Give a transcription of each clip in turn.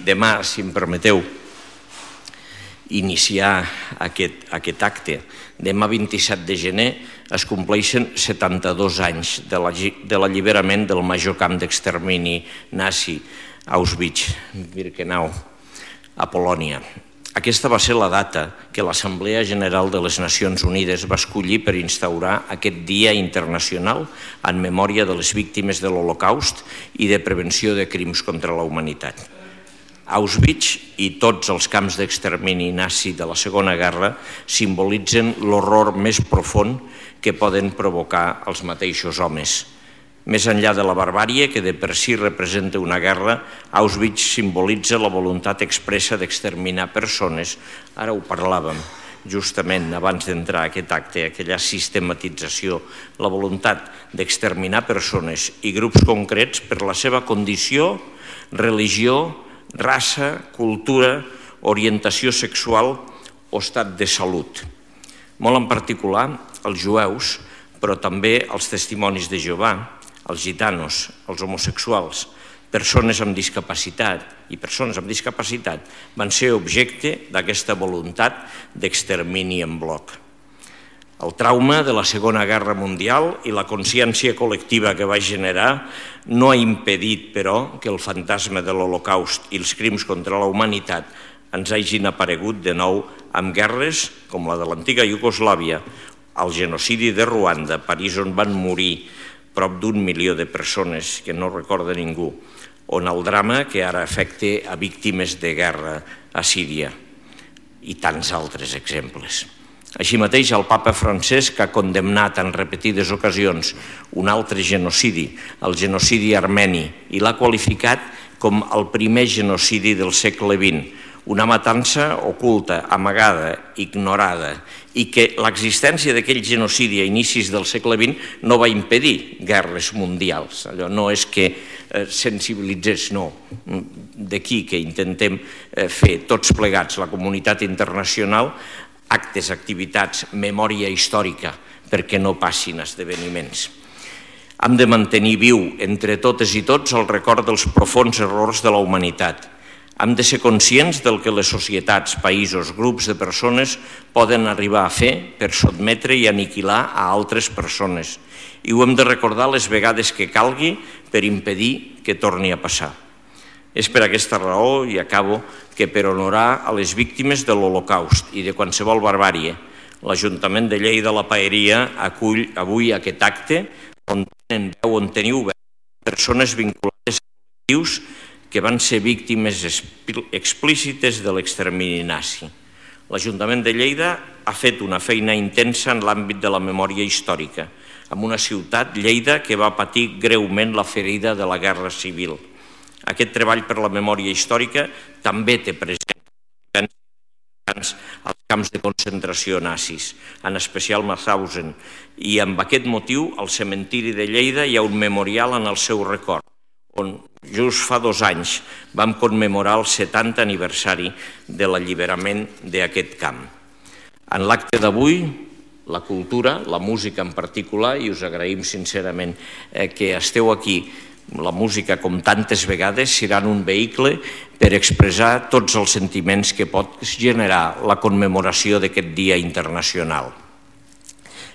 demà, si em permeteu, iniciar aquest acte. Demà 27 de gener es compleixen 72 anys de l'alliberament del major camp d'extermini nazi Auschwitz-Birkenau, a Polònia. Aquesta va ser la data que l'Assemblea General de les Nacions Unides va escollir per instaurar aquest Dia Internacional en memòria de les víctimes de l'Holocaust i de prevenció de crims contra la humanitat. Auschwitz i tots els camps d'extermini nazi de la Segona Guerra simbolitzen l'horror més profund que poden provocar els mateixos homes. Més enllà de la barbàrie, que de per si representa una guerra, Auschwitz simbolitza la voluntat expressa d'exterminar persones. Ara ho parlàvem justament abans d'entrar a aquest acte, aquella sistematització, la voluntat d'exterminar persones i grups concrets per la seva condició, religió, raça, cultura, orientació sexual o estat de salut. Molt en particular, els jueus, però també els testimonis de Jehovà, els gitanos, els homosexuals, persones amb discapacitat i persones amb discapacitat van ser objecte d'aquesta voluntat d'extermini en bloc. El trauma de la Segona Guerra Mundial i la consciència col·lectiva que va generar no ha impedit, però, que el fantasma de l'Holocaust i els crims contra la humanitat ens hagin aparegut de nou amb guerres com la de l'antiga Iugoslàvia, el genocidi de Ruanda, a París, on van morir prop d'1 milió de persones que no recorda ningú, on el drama que ara afecta a víctimes de guerra a Síria i tants altres exemples. Així mateix, el papa Francesc ha condemnat en repetides ocasions un altre genocidi, el genocidi armeni, i l'ha qualificat com el primer genocidi del segle XX, una matança oculta, amagada, ignorada, i que l'existència d'aquell genocidi a inicis del segle XX no va impedir guerres mundials. Allò no és que sensibilitzés, no. D'aquí que intentem fer tots plegats, la comunitat internacional, actes, activitats, memòria històrica, perquè no passin esdeveniments. Hem de mantenir viu entre totes i tots el record dels profunds errors de la humanitat. Hem de ser conscients del que les societats, països, grups de persones poden arribar a fer per sotmetre i aniquilar a altres persones. I ho hem de recordar les vegades que calgui per impedir que torni a passar. És per aquesta raó, i acabo, que per honorar a les víctimes de l'Holocaust i de qualsevol barbàrie, l'Ajuntament de Lleida la Paeria acull avui aquest acte on teniu persones vinculades a col·lectius que van ser víctimes explícites de l'extermini nazi. L'Ajuntament de Lleida ha fet una feina intensa en l'àmbit de la memòria històrica, en una ciutat, Lleida, que va patir greument la ferida de la Guerra Civil. Aquest treball per la memòria històrica també té present als camps de concentració nazis, en especial Mauthausen, i amb aquest motiu al cementiri de Lleida hi ha un memorial en el seu record, on just fa 2 anys vam commemorar el 70 aniversari de l'alliberament d'aquest camp. En l'acte d'avui, la cultura, la música en particular, i us agraïm sincerament que esteu aquí, la música, com tantes vegades, seran un vehicle per expressar tots els sentiments que pot generar la commemoració d'aquest Dia Internacional.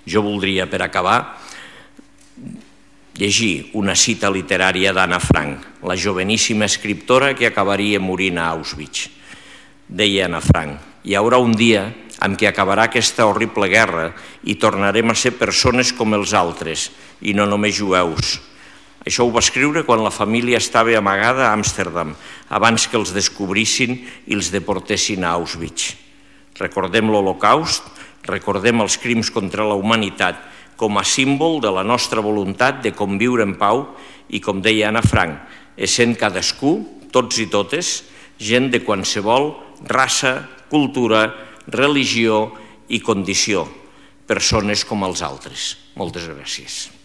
Jo voldria, per acabar, llegir una cita literària d'Anna Frank, la joveníssima escriptora que acabaria morint a Auschwitz. Deia Anna Frank: hi haurà un dia en què acabarà aquesta horrible guerra i tornarem a ser persones com els altres, i no només jueus. Això ho va escriure quan la família estava amagada a Amsterdam, abans que els descobrissin i els deportessin a Auschwitz. Recordem l'Holocaust, recordem els crims contra la humanitat com a símbol de la nostra voluntat de conviure en pau i, com deia Anna Frank, essent cadascú, tots i totes, gent de qualsevol raça, cultura, religió i condició, persones com els altres. Moltes gràcies.